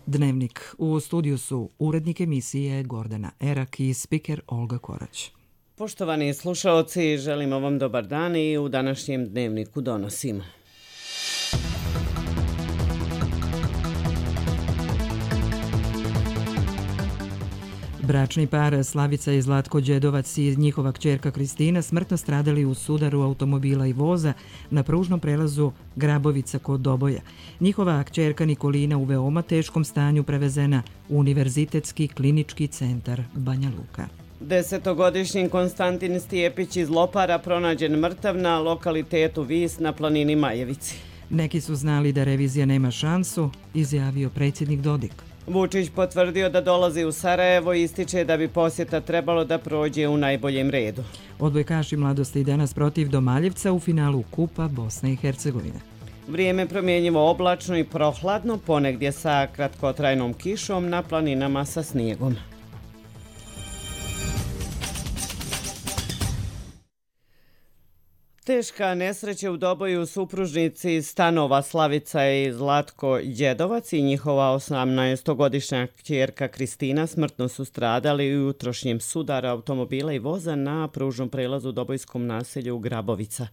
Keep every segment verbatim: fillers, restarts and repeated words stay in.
Dnevnik. U studiju su urednik emisije Gordana Erak i spiker Olga Korać. Poštovani slušaoci, želimo vam dobar dan i u današnjem dnevniku donosimo. Bračni par Slavica i Zlatko Đedovac i njihova kćerka Kristina smrtno stradali u sudaru automobila i voza na pružnom prelazu Grabovica kod Doboja. Njihova kćerka Nikolina u veoma teškom stanju prevezena u Univerzitetski klinički centar Banja Luka. Desetogodišnji Konstantin Stijepić iz Lopara pronađen mrtav na lokalitetu Vis na planini Majevici. Neki su znali da revizija nema šansu, izjavio predsjednik Dodik. Vučić potvrdio da dolazi u Sarajevo i ističe da bi posjeta trebalo da prođe u najboljem redu. Odbojkaši Mladosti danas protiv Domaljevca u finalu Kupa Bosne i Hercegovine. Vrijeme promjenjivo oblačno i prohladno, ponegdje sa kratkotrajnom kišom, na planinama sa snijegom. Teška nesreća u Doboju, supružnici stanova Slavica i Zlatko Đedovac i njihova osamnaestogodišnja kćerka Kristina smrtno su stradali u utrošnjem sudaru automobila i voza na pružnom prelazu u dobojskom naselju Grabovica.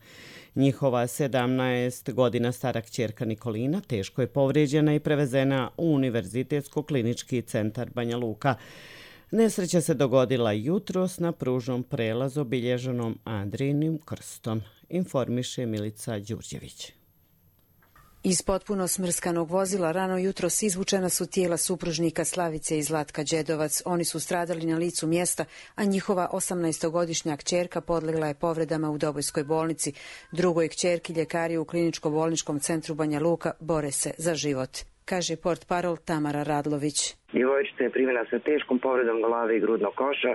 Njihova sedamnaest godina stara kćerka Nikolina teško je povrijeđena i prevezena u Univerzitetsko klinički centar Banja Luka. Nesreća se dogodila jutros na pružnom prelazu obilježenom Andrijinim krstom, informiše Milica Đurđević. Iz potpuno smrskanog vozila rano jutros izvučena su tijela supružnika Slavice i Zlatka Đedovac. Oni su stradali na licu mjesta, a njihova osamnaestogodišnja kćerka podlegla je povredama u Dobojskoj bolnici. Drugoj kćerki ljekari u kliničko-bolničkom centru Banja Luka bore se za život, kaže portparol Tamara Radlović. Djevojčica je primjena sa teškom povredom glave i grudnog koša,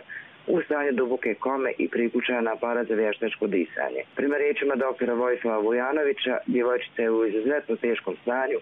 u stanju duboke kome i priključena na aparat za vještačko disanje. Prema riječima doktora Vojislava Vujanovića, djevojčica je u izuzetno teškom stanju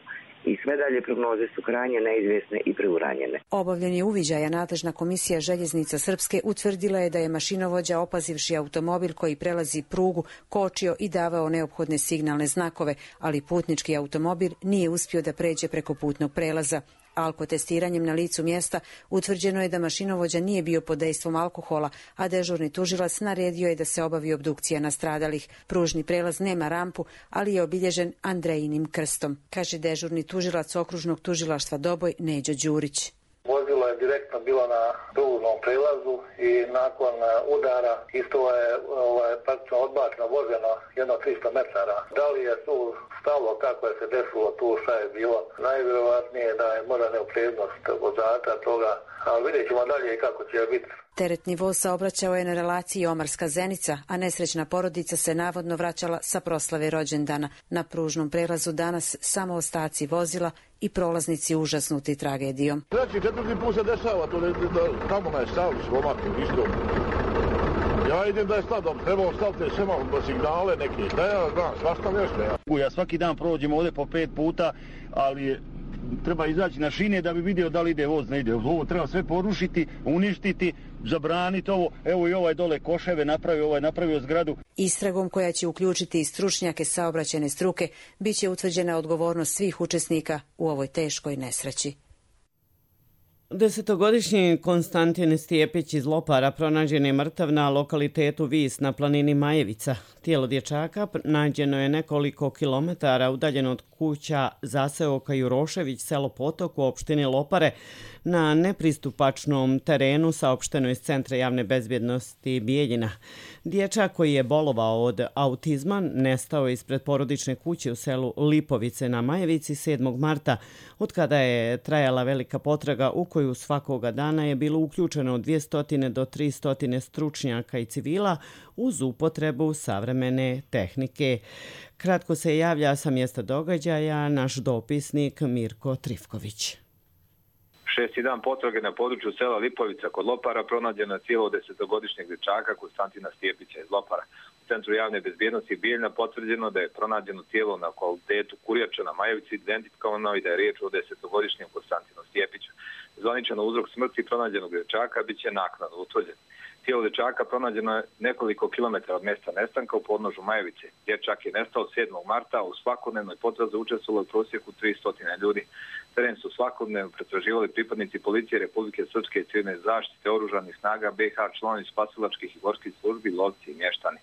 i sve dalje prognoze su krajnje neizvjesne i preuranjene. Obavljen je uviđaja. Nadležna komisija Željeznica Srpske utvrdila je da je mašinovođa, opazivši automobil koji prelazi prugu, kočio i davao neophodne signalne znakove, ali putnički automobil nije uspio da pređe preko putnog prelaza. Alkotestiranjem na licu mjesta utvrđeno je da mašinovođa nije bio pod dejstvom alkohola, a dežurni tužilac naredio je da se obavi obdukcija nastradalih. Pružni prelaz nema rampu, ali je obilježen Andrejinim krstom, kaže dežurni tužilac okružnog tužilaštva Doboj Neđo Đurić. Vozilo je direktno bilo na pružnom prelazu i nakon udara isto je ovaj, praktično odbačeno vozeno jedno tristo metara. Da li je tu stalo, kako je se desilo tu, šta je bilo? Najvjerovatnije da je možda neopreznost vozača toga, ali vidjet ćemo dalje kako će biti. Teretni voz saobraćao je na relaciji Omarska-Zenica, a nesrećna porodica se navodno vraćala sa proslave rođendana. Na pružnom prelazu danas samo ostaci vozila i prolaznici užasnuti tragedijom. Treći, četvrti put se dešava, to ne, da, tamo ne stavili slomak, isto. Ja idem da je stadom, trebao staviti sve malo signale neki, da ja znam, svašta nešto. Ja. ja svaki dan prođem ovdje po pet puta, ali treba izaći na šine da bi vidio da li ide voz, ne ide. Ovo treba sve porušiti, uništiti, zabraniti ovo. Evo i ovaj dole koševe napravio, ovaj napravio zgradu. Istragom koja će uključiti i stručnjake saobraćajne struke, bit će utvrđena odgovornost svih učesnika u ovoj teškoj nesreći. Desetogodišnji Konstantin Stijepić iz Lopara pronađen je mrtav na lokalitetu Vis na planini Majevica. Tijelo dječaka nađeno je nekoliko kilometara udaljeno od kuća zaseoka Jurošević, selo Potok u opštini Lopare, na nepristupačnom terenu, saopšteno iz Centra javne bezbjednosti Bijeljina. Dječak koji je bolovao od autizma nestao ispred porodične kuće u selu Lipovice na Majevici sedmog marta, od kada je trajala velika potraga u koju svakoga dana je bilo uključeno od dvjesto do tristo stručnjaka i civila uz upotrebu savremene tehnike. Kratko se javlja sa mjesta događaja naš dopisnik Mirko Trifković. Šesti dan potrage na području sela Lipovica kod Lopara pronađeno je tijelo desetogodišnjeg dječaka Konstantina Stijepića iz Lopara. U Centru javne bezbjednosti Bijeljina potvrđeno da je pronađeno tijelo na lokalitetu Kurjača na Majevici, identifikovano i da je riječ o desetogodišnjem Konstantinu Stijepiću. Zvaničan uzrok smrti pronađenog dječaka bit će naknadno utvrđen. Tijelo dječaka pronađeno je nekoliko kilometara od mjesta nestanka u podnožju Majevice. Dječak je nestao sedmog marta, u svakodnevnoj potrazi učestvovalo u prosjeku tristo ljudi. Teren su svakodnevno pretraživali pripadnici policije Republike Srpske i civilne zaštite, oružanih snaga B iH, članovi spasilačkih i gorskih službi, lovci i mještani.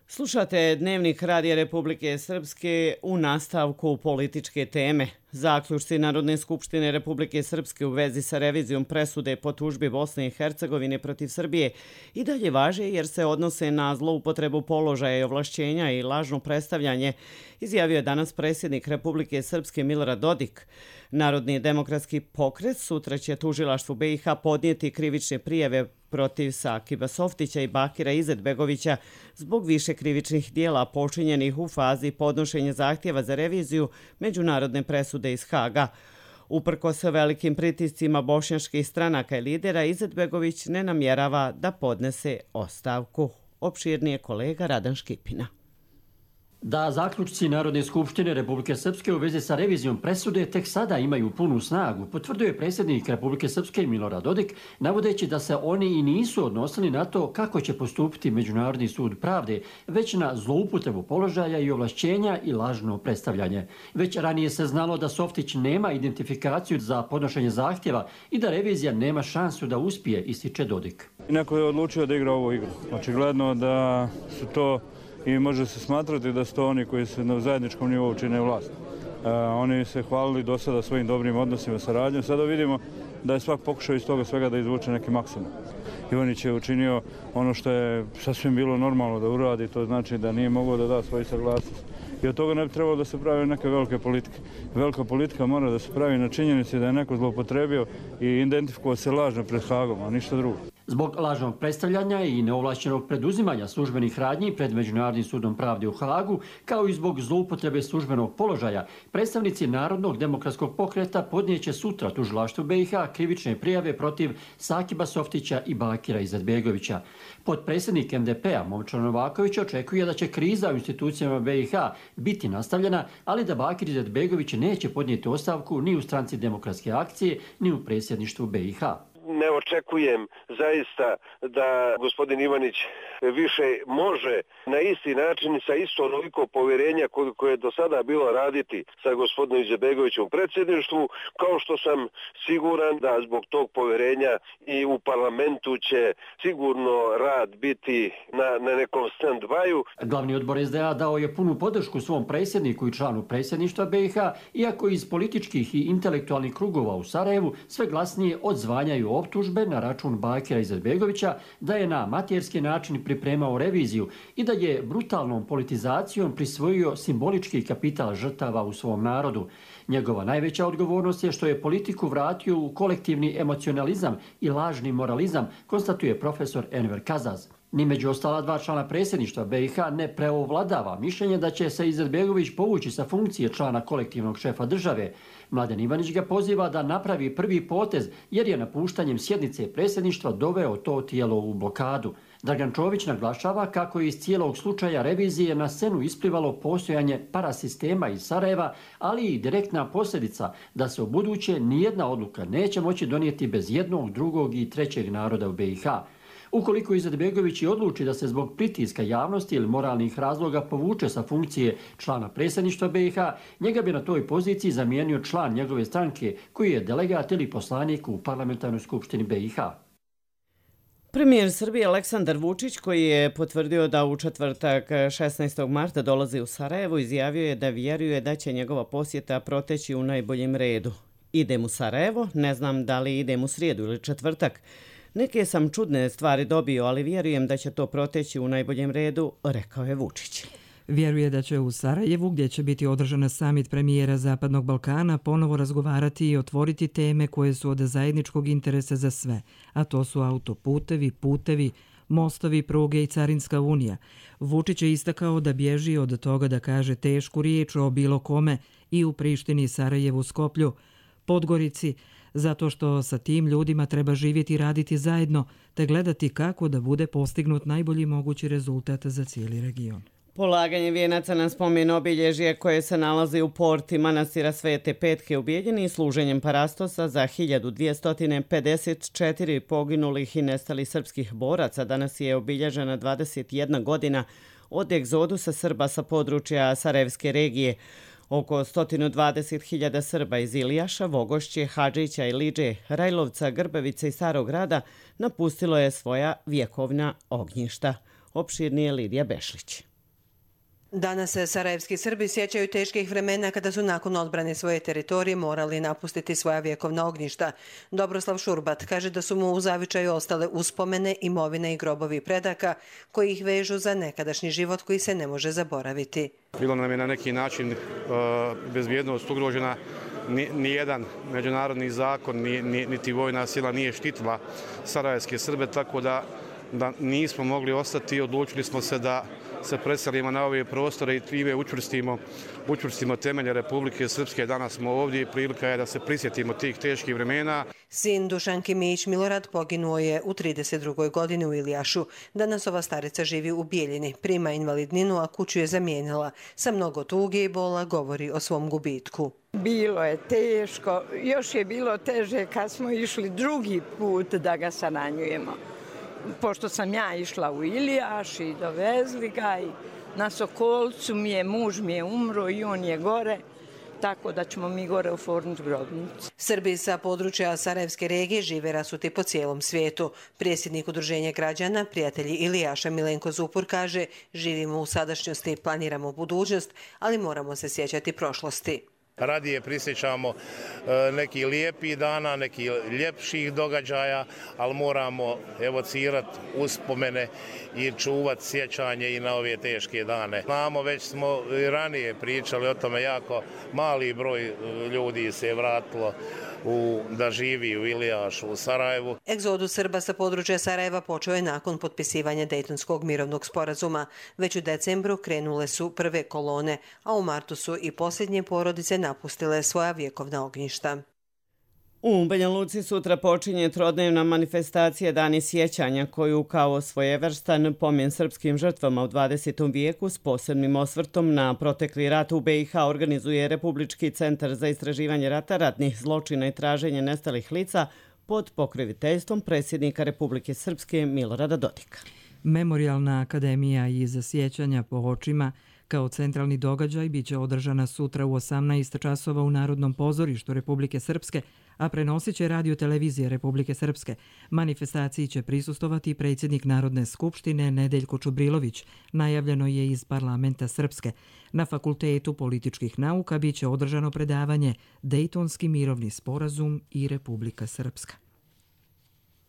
Slušate Dnevnik Radija Republike Srpske u nastavku političke teme. Zaključci Narodne skupštine Republike Srpske u vezi sa revizijom presude po tužbi Bosne i Hercegovine protiv Srbije i dalje važe jer se odnose na zloupotrebu položaja i ovlašćenja i lažno predstavljanje, izjavio je danas predsjednik Republike Srpske Milorad Dodik. Narodni demokratski pokret sutra će tužilaštvu B iH podnijeti krivične prijave protiv Sakiba Softića i Bakira Izetbegovića zbog više krivičnih dijela počinjenih u fazi podnošenja zahtjeva za reviziju međunarodne presude iz Haga. Uprkos velikim pritiscima bošnjačkih stranaka i lidera, Izetbegović ne namjerava da podnese ostavku. Opširnije kolega Radan Škipina. Da zaključci Narodne skupštine Republike Srpske u vezi sa revizijom presude tek sada imaju punu snagu, potvrduje predsjednik Republike Srpske Milorad Dodik, navodeći da se oni i nisu odnosili na to kako će postupiti Međunarodni sud pravde, već na zloupotrebu položaja i ovlašćenja i lažno predstavljanje. Već ranije se znalo da Softić nema identifikaciju za podnošenje zahtjeva i da revizija nema šansu da uspije, ističe Dodik. Neko je odlučio da igra ovu igru. Očigledno da su to i može se smatrati da su to oni koji se na zajedničkom nivou čine vlast. E, oni se hvalili do sada svojim dobrim odnosima sa radnjom. Sada vidimo da je svak pokušao iz toga svega da izvuče neki maksimum. Ivanić je učinio ono što je sasvim bilo normalno da uradi, to znači da nije mogao da da svoju saglasnost. I od toga ne bi trebalo da se pravi neke velike politike. Velika politika mora da se pravi na činjenici da je neko zloupotrebio i identifikovao se lažno pred Hagom, a ništa drugo. Zbog lažnog predstavljanja i neovlašćenog preduzimanja službenih radnji pred Međunarodnim sudom pravde u Hagu, kao i zbog zloupotrebe službenog položaja, predstavnici Narodnog demokratskog pokreta podnijeće sutra tužilaštvu B iH krivične prijave protiv Sakiba Softića i Bakira Izetbegovića. Potpredsjednik M D P-a Momčilo Novaković očekuje da će kriza u institucijama B iH biti nastavljena, ali da Bakir Izetbegović neće podnijeti ostavku ni u stranci Demokratske akcije, ni u predsjedništvu B iH. Ne očekujem zaista da gospodin Ivanić više može na isti način sa isto onoliko povjerenja koje je do sada bilo raditi sa gospodinom Izetbegovićem u predsjedništvu, kao što sam siguran da zbog tog povjerenja i u parlamentu će sigurno rad biti na, na nekom stand-byu. Glavni odbor S D A dao je punu podršku svom predsjedniku i članu predsjedništva B iH, iako iz političkih i intelektualnih krugova u Sarajevu sve glasnije odzvanjaju optužbe na račun Bakira Izetbegovića da je na materski način pripremao reviziju i da je brutalnom politizacijom prisvojio simbolički kapital žrtava u svom narodu. Njegova najveća odgovornost je što je politiku vratio u kolektivni emocionalizam i lažni moralizam, konstatuje profesor Enver Kazaz. Ni među ostala dva člana predsjedništva B iH ne preovladava mišljenje da će se Izetbegović povući sa funkcije člana kolektivnog šefa države. Mladen Ivanić ga poziva da napravi prvi potez jer je napuštanjem sjednice predsjedništva doveo to tijelo u blokadu. Dragan Čović naglašava kako je iz cijelog slučaja revizije na scenu isplivalo postojanje parasistema iz Sarajeva, ali i direktna posljedica da se u buduće nijedna odluka neće moći donijeti bez jednog, drugog i trećeg naroda u B iH. Ukoliko Izetbegović i odluči da se zbog pritiska javnosti ili moralnih razloga povuče sa funkcije člana predsjedništva B iH, njega bi na toj poziciji zamijenio član njegove stranke koji je delegat ili poslanik u parlamentarnoj skupštini B iH. Premijer Srbije Aleksandar Vučić, koji je potvrdio da u četvrtak šesnaestog marta dolazi u Sarajevo, izjavio je da vjeruje da će njegova posjeta proteći u najboljem redu. Idem u Sarajevo, ne znam da li idem u srijedu ili četvrtak. Neke sam čudne stvari dobio, ali vjerujem da će to proteći u najboljem redu, rekao je Vučić. Vjeruje da će u Sarajevu, gdje će biti održana samit premijera Zapadnog Balkana, ponovo razgovarati i otvoriti teme koje su od zajedničkog interesa za sve, a to su autoputevi, putevi, mostovi, pruge i Carinska unija. Vučić je istakao da bježi od toga da kaže tešku riječ o bilo kome i u Prištini, Sarajevu, Skoplju, Podgorici, zato što sa tim ljudima treba živjeti i raditi zajedno, te gledati kako da bude postignut najbolji mogući rezultat za cijeli region. Polaganje vijenaca na spomen obilježje koje se nalazi u porti manastira Svete Petke u Bijeljini i služenjem parastosa za hiljadu dvjesto pedeset četiri poginulih i nestalih srpskih boraca danas je obilježena dvadeset jedna godina od egzodusa Srba sa područja Sarajevske regije. Oko sto dvadeset hiljada Srba iz Ilijaša, Vogošće, Hadžića, Iliđe, Rajlovca, Grbavice i Starog grada napustilo je svoja vjekovna ognjišta. Opširnije Lidija Bešlić. Danas se sarajevski Srbi sjećaju teških vremena kada su nakon odbrane svoje teritorije morali napustiti svoja vjekovna ognjišta. Dobroslav Šurbat kaže da su mu u zavičaju ostale uspomene, imovine i grobovi predaka koji ih vežu za nekadašnji život koji se ne može zaboraviti. Bilo nam je na neki način uh, bezbjednost ugrožena. Nijedan međunarodni zakon, ni, ni, niti vojna sila nije štitila sarajevske Srbe, tako da, da nismo mogli ostati i odlučili smo se da se preselimo na ove prostore i time učvrstimo, učvrstimo temelje Republike Srpske. Danas smo ovdje i prilika je da se prisjetimo tih teških vremena. Sin Dušanki Mijić Milorad poginuo je u trideset drugoj godini u Ilijašu. Danas ova starica živi u Bijeljini, prima invalidninu, a kuću je zamijenila. Sa mnogo tuge i bola govori o svom gubitku. Bilo je teško, još je bilo teže kad smo išli drugi put da ga saranjujemo. Pošto sam ja išla u Ilijaš i dovezli ga i na Sokolcu mi je, muž mi je umro i on je gore, tako da ćemo mi gore oformiti grobnicu. Srbi sa područja Sarajevske regije žive rasuti po cijelom svijetu. Predsjednik Udruženja građana, prijatelji Ilijaša Milenko Zupur kaže: živimo u sadašnjosti, planiramo budućnost, ali moramo se sjećati prošlosti. Radije prisjećamo neki lijepi dana, neki ljepših događaja, ali moramo evocirati uspomene i čuvati sjećanje i na ove teške dane. Znamo, već smo i ranije pričali o tome, jako mali broj ljudi se je vratilo u, da živi u Ilijašu, u Sarajevu. Egzodus Srba sa područja Sarajeva počeo je nakon potpisivanja Dejtonskog mirovnog sporazuma. Već u decembru krenule su prve kolone, a u martu su i posljednje porodice napustile svoja vjekovna ognjišta. U Banja Luci sutra počinje trodnevna manifestacija Dani sjećanja koju kao svojevrstan pomen srpskim žrtvama u dvadesetom vijeku s posebnim osvrtom na protekli rat u be i ha organizuje Republički centar za istraživanje rata, ratnih zločina i traženje nestalih lica pod pokroviteljstvom predsjednika Republike Srpske Milorada Dodika. Memorijalna akademija iz sjećanja po očima kao centralni događaj biće održana sutra u osamnaest časova u Narodnom pozorištu Republike Srpske, a prenosit će Radio televizija Republike Srpske. Manifestaciji će prisustovati predsjednik Narodne skupštine Nedeljko Čubrilović, najavljeno je iz parlamenta Srpske. Na Fakultetu političkih nauka biće održano predavanje Dejtonski mirovni sporazum i Republika Srpska.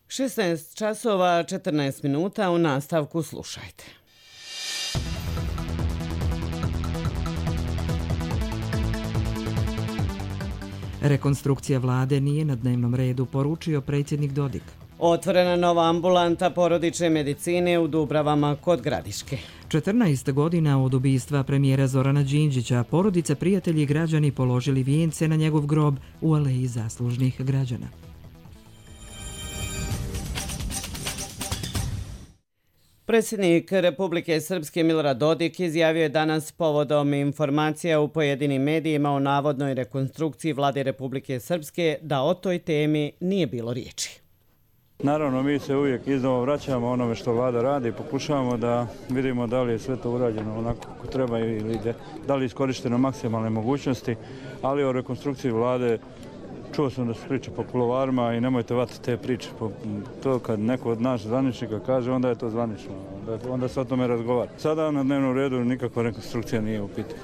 šesnaest časova četrnaest minuta, u nastavku slušajte. Rekonstrukcija vlade nije na dnevnom redu, poručio predsjednik Dodik. Otvorena nova ambulanta porodične medicine u Dubravama kod Gradiške. četrnaest godina od ubistva premijera Zorana Đinđića, porodica, prijatelji i građani položili vijence na njegov grob u Aleji zaslužnih građana. Predsjednik Republike Srpske Milorad Dodik izjavio je danas povodom informacija u pojedinim medijima o navodnoj rekonstrukciji vlade Republike Srpske da o toj temi nije bilo riječi. Naravno, mi se uvijek iznova vraćamo onome što vlada radi, pokušavamo da vidimo da li je sve to urađeno onako kako treba ili da li je iskorišteno maksimalne mogućnosti, ali o rekonstrukciji vlade čuo sam da se priča po kulovarima i nemojte vatiti te priče. To kad neko od nas zvaničnika kaže, onda je to zvanično. Onda se o tome razgovara. Sada na dnevnom redu nikakva rekonstrukcija nije u pitanju.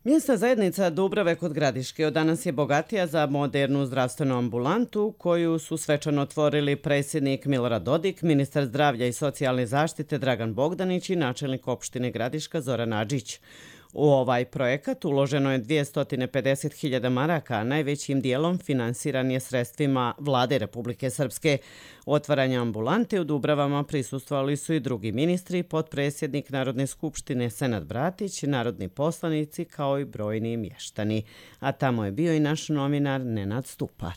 Mjesna zajednica Dubrave kod Gradiške od danas je bogatija za modernu zdravstvenu ambulantu koju su svečano otvorili predsjednik Milorad Dodik, ministar zdravlja i socijalne zaštite Dragan Bogdanić i načelnik opštine Gradiška Zoran Adžić. U ovaj projekat uloženo je dvjesto pedeset hiljada maraka, a najvećim dijelom finansiran je sredstvima vlade Republike Srpske. Otvaranje ambulante u Dubravama prisustvovali su i drugi ministri, potpredsjednik Narodne skupštine Senad Bratić, narodni poslanici kao i brojni mještani. A tamo je bio i naš novinar Nenad Stupar.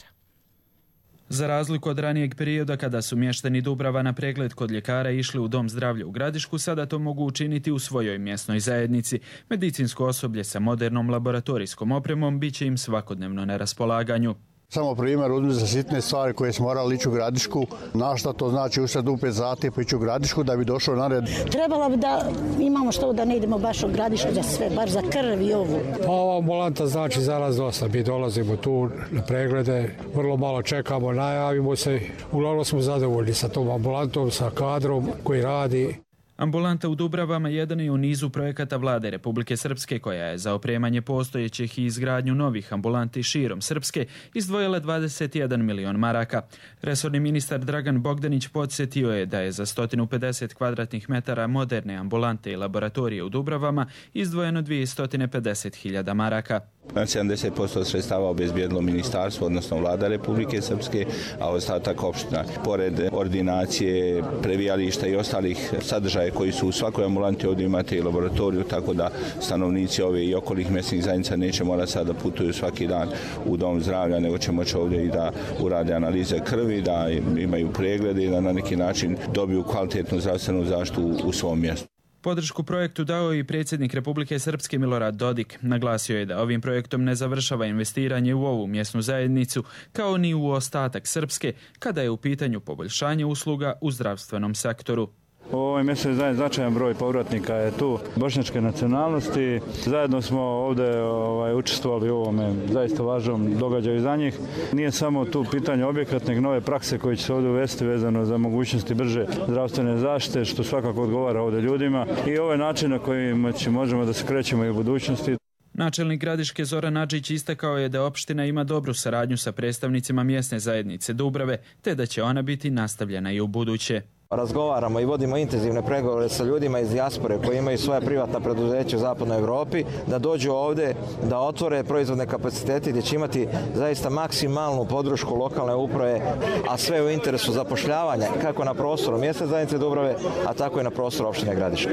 Za razliku od ranijeg perioda kada su mještani Dubrava na pregled kod ljekara išli u Dom zdravlja u Gradišku, sada to mogu učiniti u svojoj mjesnoj zajednici. Medicinsko osoblje sa modernom laboratorijskom opremom bit će im svakodnevno na raspolaganju. Samo primjer, uzmi za sitne stvari koje smo morali ići u Gradišku. Na šta to znači usred u pet zati pa ići u Gradišku da bi došao na red? Trebalo bi da imamo što da ne idemo baš u Gradišku za sve, bar za krv i ovu. Pa ova ambulanta znači za nas dosta. Mi dolazimo tu na preglede, vrlo malo čekamo, najavimo se. Uglavnom smo zadovoljni sa tom ambulantom, sa kadrom koji radi. Ambulanta u Dubravama jedan je u nizu projekata Vlade Republike Srpske koja je za opremanje postojećih i izgradnju novih ambulanti širom Srpske izdvojila dvadeset jedan milion maraka. Resorni ministar Dragan Bogdanić podsjetio je da je za sto pedeset kvadratnih metara moderne ambulante i laboratorije u Dubravama izdvojeno dvjesto pedeset hiljada maraka. sedamdeset posto sredstava obezbijedilo ministarstvo, odnosno Vlada Republike Srpske, a ostatak opština. Pored ordinacije, previjališta i ostalih sadržaja koji su u svakoj ambulanti, ovdje imate i laboratoriju, tako da stanovnici ove i okolnih mjesnih zajednica neće morati sada da putuju svaki dan u dom zdravlja, nego će moći ovdje i da urade analize krvi, da imaju preglede i da na neki način dobiju kvalitetnu zdravstvenu zaštitu u svom mjestu. Podršku projektu dao i predsjednik Republike Srpske Milorad Dodik. Naglasio je da ovim projektom ne završava investiranje u ovu mjesnu zajednicu, kao ni u ostatak Srpske, kada je u pitanju poboljšanje usluga u zdravstvenom sektoru. U ovoj mjesnoj zajednici značajan broj povratnika je tu bošnjačke nacionalnosti. Zajedno smo ovdje ovaj, učestvovali u ovome zaista važnom događaju za njih. Nije samo tu pitanje objekat, nego nove prakse koje će se ovdje uvesti vezano za mogućnosti brže zdravstvene zaštite, što svakako odgovara ovdje ljudima. I ovaj način na koji možemo da se krećemo i u budućnosti. Načelnik Gradiške Zoran Adžić istakao je da opština ima dobru saradnju sa predstavnicima mjesne zajednice Dubrave, te da će ona biti nastavljena i u buduće. Razgovaramo i vodimo intenzivne pregovore sa ljudima iz dijaspore koji imaju svoja privatna preduzeća u zapadnoj Evropi, da dođu ovdje, da otvore proizvodne kapacitete gdje će imati zaista maksimalnu podršku lokalne uprave, a sve u interesu zapošljavanja kako na prostoru mjesne zajednice Dubrave, a tako i na prostoru opštine Gradiške.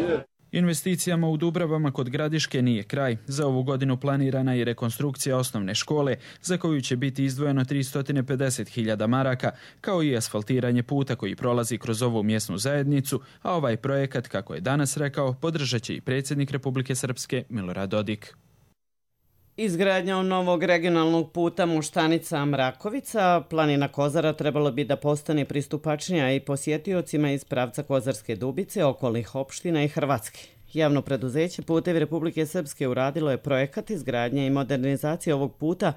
Investicijama u Dubravama kod Gradiške nije kraj. Za ovu godinu planirana je rekonstrukcija osnovne škole, za koju će biti izdvojeno tristo pedeset hiljada maraka, kao i asfaltiranje puta koji prolazi kroz ovu mjesnu zajednicu, a ovaj projekat, kako je danas rekao, podržat će i predsjednik Republike Srpske Milorad Dodik. Izgradnjom novog regionalnog puta Moštanica-Mrakovica, planina Kozara trebalo bi da postane pristupačnija i posjetiocima iz pravca Kozarske Dubice, okolnih opština i Hrvatske. Javno preduzeće Putevi Republike Srpske uradilo je projekat izgradnje i modernizacije ovog puta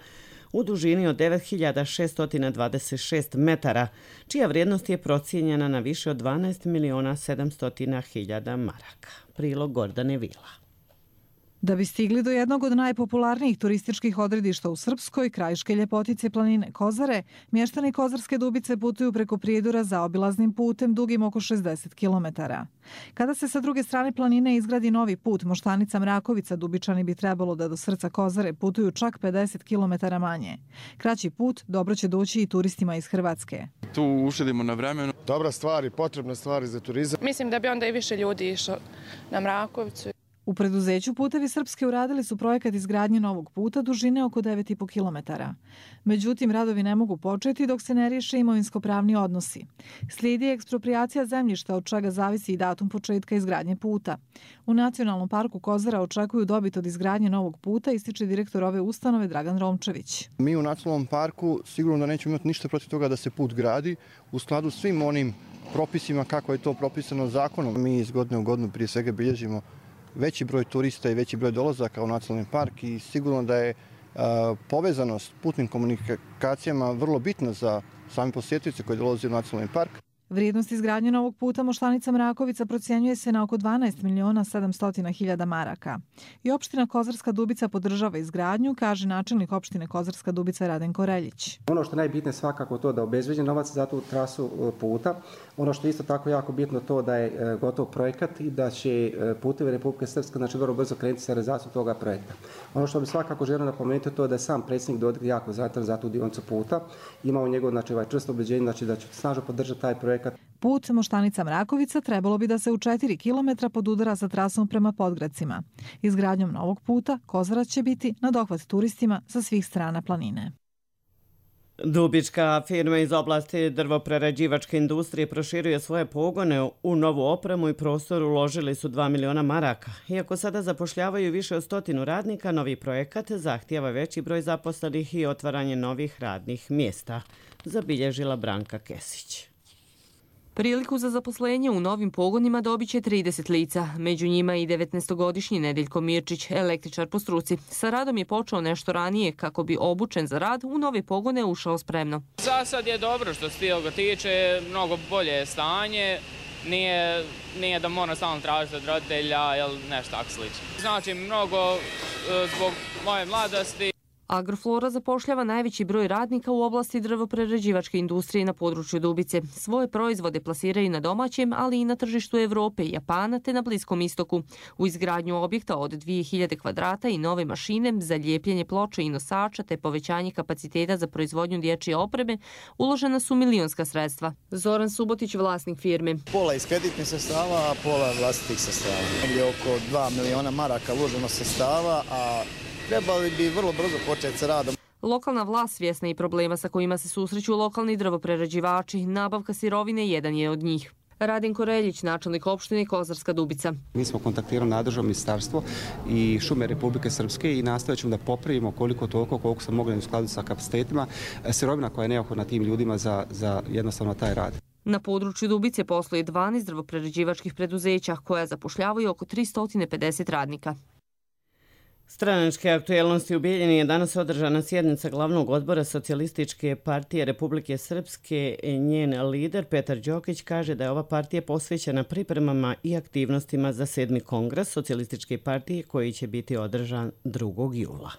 u dužini od devet hiljada šesto dvadeset šest metara, čija vrijednost je procijenjena na više od dvanaest miliona sedamsto hiljada maraka. Prilog Gordane Vila. Da bi stigli do jednog od najpopularnijih turističkih odredišta u Srpskoj, krajiške ljepotice planine Kozare, mještani Kozarske Dubice putuju preko Prijedora zaobilaznim putem dugim oko šezdeset kilometara. Kada se sa druge strane planine izgradi novi put Moštanica-Mrakovica, Dubičani bi trebalo da do srca Kozare putuju čak pedeset kilometara manje. Kraći put dobro će doći i turistima iz Hrvatske. Tu uštedimo na vremenu. Dobra stvar i potrebna stvar za turizam. Mislim da bi onda i više ljudi išlo na Mrakovicu. U preduzeću Putevi Srpske uradili su projekat izgradnje novog puta dužine oko devet i po kilometara. Međutim, radovi ne mogu početi dok se ne riješe imovinsko-pravni odnosi. Slijedi eksproprijacija zemljišta, od čega zavisi i datum početka izgradnje puta. U Nacionalnom parku Kozara očekuju dobit od izgradnje novog puta, ističe direktor ove ustanove Dragan Romčević. Mi u Nacionalnom parku sigurno da nećemo imati ništa protiv toga da se put gradi u skladu s svim onim propisima kako je to propisano zakonom. Mi iz godine u godinu prije svega bilježimo veći broj turista i veći broj dolazaka u nacionalni park i sigurno da je a, povezanost putnim komunikacijama vrlo bitna za sami posjetioce koji dolaze u nacionalni park. Vrijednost izgradnje novog puta Moštanica-Mrakovica procjenjuje se na oko dvanaest miliona sedamsto hiljada maraka. I opština Kozarska Dubica podržava izgradnju, kaže načelnik opštine Kozarska Dubica Radenko Reljić. Ono što je najbitnije svakako to da obezbeđen novac za tu trasu puta. Ono što je isto tako jako bitno to da je gotov projekat i da će Putevi Republike Srpske znači vrlo brzo krenuti sa realizacijom toga projekta. Ono što bi svakako želio napomenuti to da je sam predsjednik Dodik jako zainteresovan za tu dionicu puta. Imao njegov znači ovaj čvrsto ubeđenje znači da će snažno podržati taj projekt. Put Moštanica-Mrakovica trebalo bi da se u četiri kilometra podudara sa trasom prema Podgradcima. Izgradnjom novog puta Kozara će biti na dohvat turistima sa svih strana planine. Dubička firma iz oblasti drvoprerađivačke industrije proširuje svoje pogone u novu opremu i prostor, uložili su dva miliona maraka. Iako sada zapošljavaju više od stotinu radnika, novi projekat zahtijeva veći broj zaposlenih i otvaranje novih radnih mjesta, zabilježila Branka Kesić. Priliku za zaposlenje u novim pogonima dobit će trideset lica. Među njima i devetnaestogodišnji Nedeljko Mirčić, električar po struci. Sa radom je počeo nešto ranije kako bi obučen za rad u nove pogone ušao spremno. Za sad je dobro što se toga tiče, mnogo bolje je stanje. Nije, nije da mora stalno tražiti od roditelja ili nešto tako slično. Znači mnogo zbog moje mladosti. Agroflora zapošljava najveći broj radnika u oblasti drvoprerađivačke industrije na području Dubice. Svoje proizvode plasiraju na domaćem, ali i na tržištu Evrope i Japana te na Bliskom istoku. U izgradnju objekta od dvije hiljade kvadrata i nove mašine za lijepljenje ploča i nosača te povećanje kapaciteta za proizvodnju dječje opreme uložena su milionska sredstva. Zoran Subotić, vlasnik firme. Pola iz kreditnih sredstava, a pola vlastitih sredstava. Negdje oko dva miliona maraka uloženo sredstava, a trebali bi vrlo brzo početi sa radom. Lokalna vlast svjesna i problema sa kojima se susreću lokalni drvoprerađivači. Nabavka sirovine jedan je od njih. Radin Koreljić, načelnik opštine Kozarska Dubica. Mi smo kontaktirali nadležno ministarstvo i šume Republike Srpske i nastavit ćemo da popravimo koliko toliko, koliko smo mogli u skladu sa kapacitetima, sirovina koja je neophodna tim ljudima za, za jednostavno taj rad. Na području Dubice postoji dvanaest drvoprerađivačkih preduzeća koja zapošljavaju oko tristo pedeset radnika. Stranačke aktuelnosti u Bijeljini je danas održana sjednica glavnog odbora Socijalističke partije Republike Srpske. Njen lider Petar Đokić kaže da je ova partija posvećena pripremama i aktivnostima za sedmi kongres Socijalističke partije koji će biti održan drugog jula.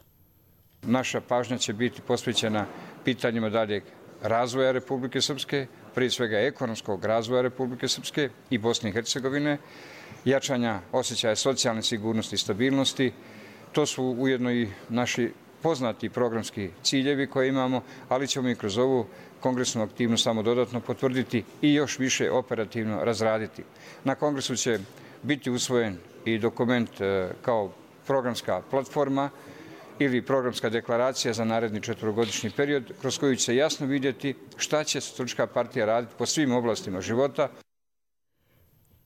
Naša pažnja će biti posvećena pitanjima daljeg razvoja Republike Srpske, prije svega ekonomskog razvoja Republike Srpske i Bosne i Hercegovine, jačanja osjećaja socijalne sigurnosti i stabilnosti. To su ujedno i naši poznati programski ciljevi koje imamo, ali ćemo i kroz ovu kongresnu aktivnost samo dodatno potvrditi i još više operativno razraditi. Na kongresu će biti usvojen i dokument kao programska platforma ili programska deklaracija za naredni četvorogodišnji period, kroz koju će se jasno vidjeti šta će Socijalistička partija raditi po svim oblastima života.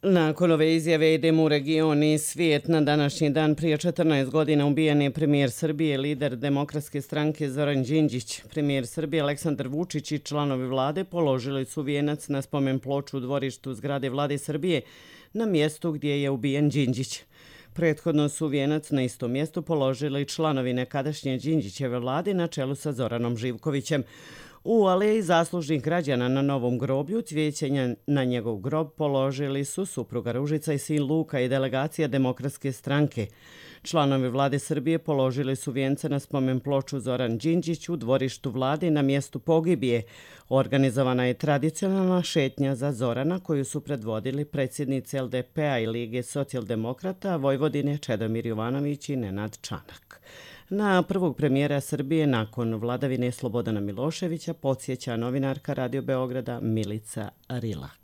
Nakon ove izjave idemo u region i svijet. Na današnji dan prije četrnaest godina ubijen je premijer Srbije, lider Demokratske stranke Zoran Đinđić. Premijer Srbije Aleksandar Vučić i članovi vlade položili su vijenac na spomen ploču u dvorištu zgrade vlade Srbije na mjestu gdje je ubijen Đinđić. Prethodno su vijenac na istom mjestu položili članovi nekadašnje Đinđićeve vlade na čelu sa Zoranom Živkovićem. U aleji zaslužnih građana na Novom groblju cvijećenja na njegov grob položili su supruga Ružica i sin Luka i delegacija Demokratske stranke. Članovi vlade Srbije položili su vijence na spomen ploču Zoran Đinđić u dvorištu vlade na mjestu pogibije. Organizovana je tradicionalna šetnja za Zorana koju su predvodili predsjednici L D P-a i Lige socijaldemokrata Vojvodine Čedomir Jovanović i Nenad Čanak. Na prvog premijera Srbije nakon vladavine Slobodana Miloševića podsjeća novinarka Radio Beograda Milica Rilak.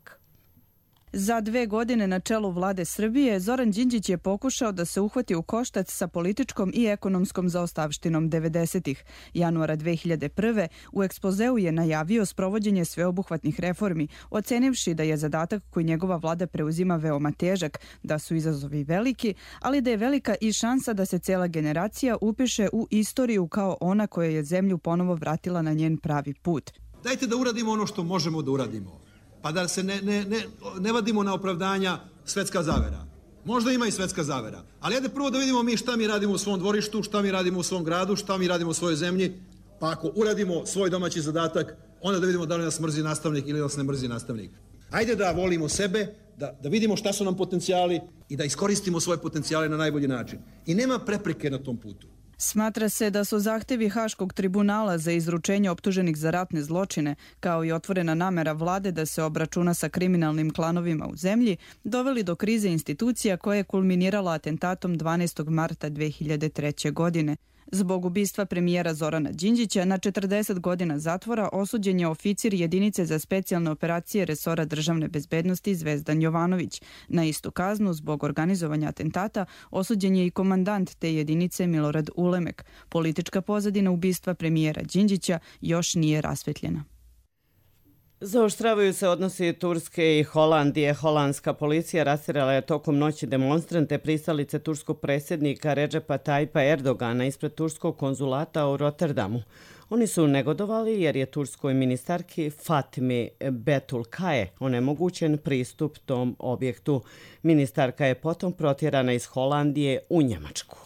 Za dve godine na čelu vlade Srbije Zoran Đinđić je pokušao da se uhvati u koštac sa političkom i ekonomskom zaostavštinom devedesetih. Januara dve hiljade prve. u ekspozeu je najavio sprovođenje sveobuhvatnih reformi, ocenivši da je zadatak koji njegova vlada preuzima veoma težak, da su izazovi veliki, ali da je velika i šansa da se cela generacija upiše u istoriju kao ona koja je zemlju ponovo vratila na njen pravi put. Dajte da uradimo ono što možemo da uradimo. Pa da se ne, ne, ne, ne vadimo na opravdanja svetska zavera. Možda ima i svetska zavera. Ali ajde prvo da vidimo mi šta mi radimo u svom dvorištu, šta mi radimo u svom gradu, šta mi radimo u svojoj zemlji. Pa ako uradimo svoj domaći zadatak, onda da vidimo da li nas mrzi nastavnik ili nas ne mrzi nastavnik. Ajde da volimo sebe, da, da vidimo šta su nam potencijali i da iskoristimo svoje potencijale na najbolji način. I nema prepreke na tom putu. Smatra se da su zahtevi Haškog tribunala za izručenje optuženih za ratne zločine, kao i otvorena namera vlade da se obračuna sa kriminalnim klanovima u zemlji, doveli do krize institucija koja je kulminirala atentatom dvanaestog marta dve hiljade treće. godine. Zbog ubistva premijera Zorana Đinđića na četrdeset godina zatvora osuđen je oficir jedinice za specijalne operacije resora državne bezbednosti Zvezdan Jovanović. Na istu kaznu zbog organizovanja atentata osuđen je i komandant te jedinice Milorad Ulemek. Politička pozadina ubistva premijera Đinđića još nije rasvetljena. Zaoštravaju se odnosi Turske i Holandije. Holandska policija rastjerala je tokom noći demonstrante pristalice turskog predsjednika Redžepa Tajpa Erdogana ispred turskog konzulata u Rotterdamu. Oni su negodovali jer je turskoj ministarki Fatimi Betulkaje onemogućen pristup tom objektu. Ministarka je potom protjerana iz Holandije u Njemačku.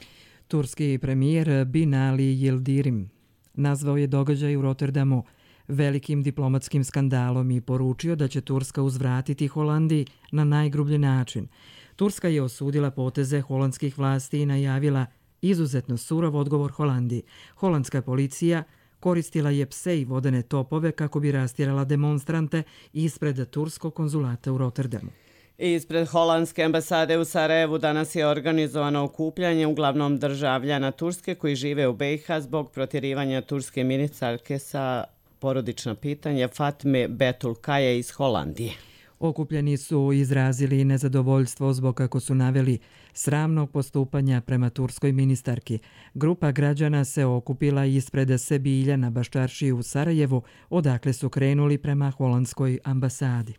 Turski premijer Binali Yildirim nazvao je događaj u Rotterdamu velikim diplomatskim skandalom i poručio da će Turska uzvratiti Holandiji na najgrublji način. Turska je osudila poteze holandskih vlasti i najavila izuzetno surov odgovor Holandiji. Holandska policija koristila je pse i vodene topove kako bi rastjerala demonstrante ispred turskog konzulata u Rotterdamu. Ispred holandske ambasade u Sarajevu danas je organizovano okupljanje uglavnom državljana Turske koji žive u B i H zbog protjerivanja turske ministarke sa porodična pitanja Fatme Betulkaje iz Holandije. Okupljeni su izrazili nezadovoljstvo zbog, kako su naveli, sramnog postupanja prema turskoj ministarki. Grupa građana se okupila ispred Sebilja na Baščaršiji u Sarajevu, odakle su krenuli prema holandskoj ambasadi.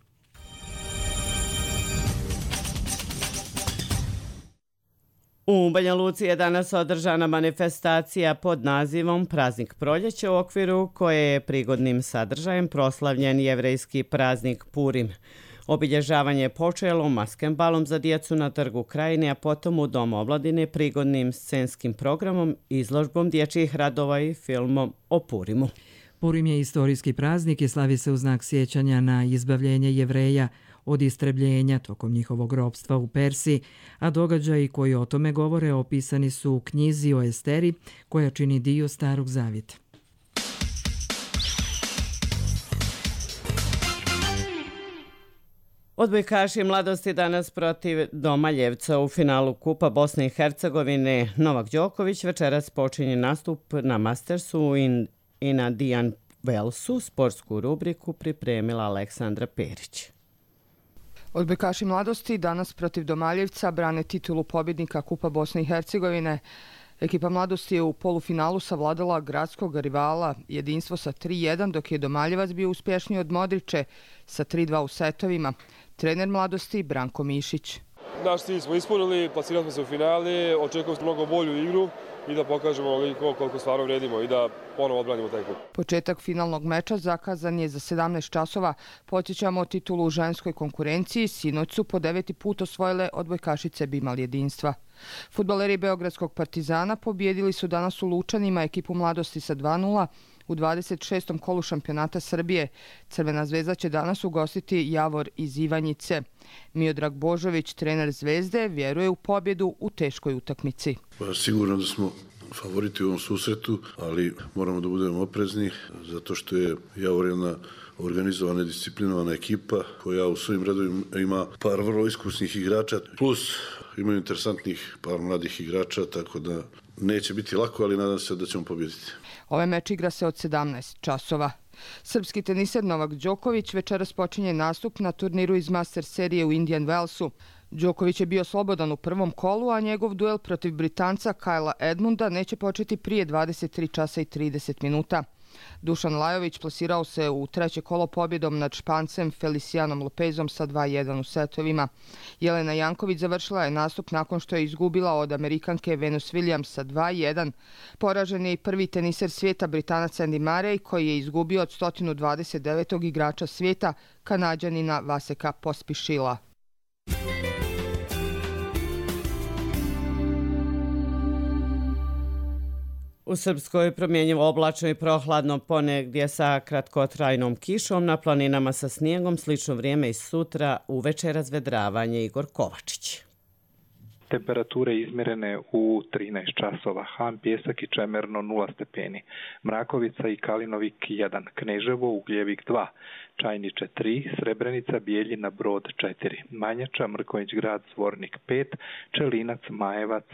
U Banja Luci je danas održana manifestacija pod nazivom Praznik proljeća, u okviru koje je prigodnim sadržajem proslavljen jevrejski praznik Purim. Obilježavanje je počelo maskenbalom za djecu na Trgu Krajine, a potom u Domu omladine prigodnim scenskim programom, izložbom dječjih radova i filmom o Purimu. Purim je istorijski praznik i slavi se u znak sjećanja na izbavljenje Jevreja od istrebljenja tokom njihovog ropstva u Persiji, a događaji koji o tome govore opisani su u knjizi o Esteri, koja čini dio Starog zavjeta. Odbojkaši mladosti danas protiv Domaljevca u finalu Kupa Bosne i Hercegovine. Novak Đoković večeras počinje nastup na Mastersu i na Dijan Velsu. Sportsku rubriku pripremila Aleksandra Perić. Odbojkaši mladosti danas protiv Domaljevca brane titulu pobjednika Kupa Bosne i Hercegovine. Ekipa mladosti je u polufinalu savladala gradskog rivala Jedinstvo sa tri jedan, dok je Domaljevac bio uspješniji od Modriče sa tri dva u setovima. Trener mladosti Branko Mišić. Naš cilj smo ispunili, plasirali smo se u finale, očekujemo mnogo bolju igru i da pokažemo koliko stvarno vredimo i da ponovo odbranimo taj kup. Početak finalnog meča zakazan je za sedamnaest časova. Podsjećamo titulu u ženskoj konkurenciji. Sinoć su po deveti put osvojile odbojkašice Bimal Jedinstva. Fudbaleri Beogradskog Partizana pobjedili su danas u Lučanima ekipu mladosti sa dva nula u dvadeset šestom kolu šampionata Srbije. Crvena zvezda će danas ugostiti Javor iz Ivanjice. Miodrag Božović, trener Zvezde, vjeruje u pobjedu u teškoj utakmici. Pa, sigurno da smo favoriti u ovom susretu, ali moramo da budemo oprezni zato što je Javor jedna organizovana i disciplinovana ekipa koja u svojim redovima ima par vrlo iskusnih igrača, plus imaju interesantnih par mladih igrača, tako da neće biti lako, ali nadam se da ćemo pobjediti. Ovaj meč igra se od sedamnaest časova. Srpski teniser Novak Đoković večeras počinje nastup na turniru iz Master serije u Indian Wellsu. Đoković je bio slobodan u prvom kolu, a njegov duel protiv Britanca Kajla Edmunda neće početi prije dvadeset tri časa i trideset minuta. Dušan Lajović plasirao se u treće kolo pobjedom nad Špancem Felicianom Lopezom sa dva jedan u setovima. Jelena Janković završila je nastup nakon što je izgubila od Amerikanke Venus Williams sa dva jedan. Poražen je i prvi teniser svijeta Britanac Andy Murray, koji je izgubio od sto dvadeset devetog igrača svijeta, Kanađanina Vaseka Pospišila. U Srpskoj promjenjivo oblačno i prohladno, ponegdje sa kratkotrajnom kišom, na planinama sa snijegom, slično vrijeme i sutra, uveče razvedravanje. Igor Kovačić. Temperature izmjerene u trinaest časova. Han, Pjesak i Čemerno nula stepeni. Mrakovica i Kalinovik jedan. Kneževo, Ugljevik dva. Čajniče tri, Srebrenica, Bijeljina, Brod četiri. Manjača, Mrkonjić grad, Zvornik pet. Čelinac, Majevac,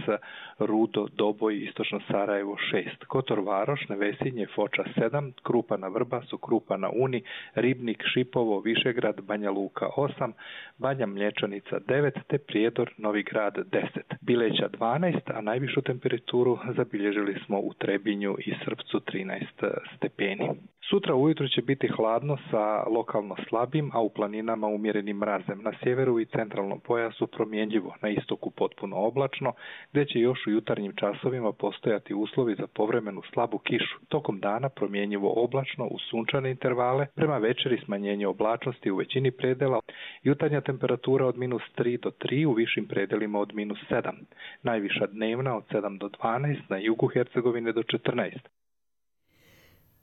Rudo, Doboj, Istočno Sarajevo šest. Kotor Varoš, Nevesinje, Foča sedam. Krupa na Vrbasu, Krupa na Uni, Ribnik, Šipovo, Višegrad, Banja Luka osam. Banja Mlječanica devet, te Prijedor, Novi Grad deset. Bileća dvanaest, a najvišu temperaturu zabilježili smo u Trebinju i Srpcu trinaest stepeni. Sutra ujutro će biti hladno sa lokalno slabim, a u planinama umjerenim mrazem. Na sjeveru i centralnom pojasu promjenjivo, na istoku potpuno oblačno, gdje će još u jutarnjim časovima postojati uslovi za povremenu slabu kišu. Tokom dana promjenjivo oblačno uz sunčane intervale, prema večeri smanjenje oblačnosti u većini predela. Jutarnja temperatura od minus tri do tri, u višim predelima od minus sedam. Najviša dnevna od sedam do dvanaest, na jugu Hercegovine do četrnaest.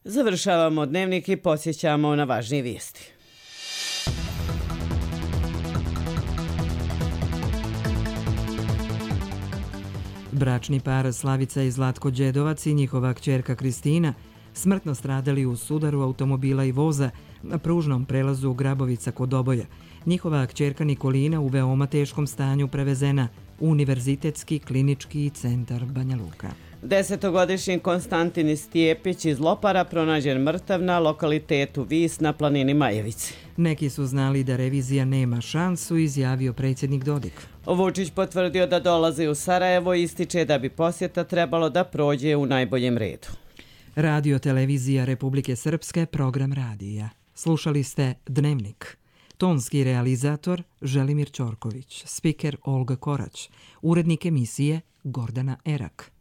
Završavamo dnevnik i posjećamo na važnije vijesti. Bračni par Slavica i Zlatko Đedovac i njihova kćerka Kristina smrtno stradali u sudaru automobila i voza na pružnom prelazu Grabovica kod Doboja. Njihova kćerka Nikolina u veoma teškom stanju prevezena u Univerzitetski klinički centar Banja Luka. Desetogodišnji Konstantin Stijepić iz Lopara pronađen mrtav na lokalitetu Vis na planini Majevici. Neki su znali da revizija nema šansu, izjavio predsjednik Dodik. Vučić potvrdio da dolazi u Sarajevo i ističe da bi posjeta trebalo da prođe u najboljem redu. Radio Televizija Republike Srpske, program radija. Slušali ste Dnevnik. Tonski realizator Želimir Ćorković, spiker Olga Korać, urednik emisije Gordana Erak.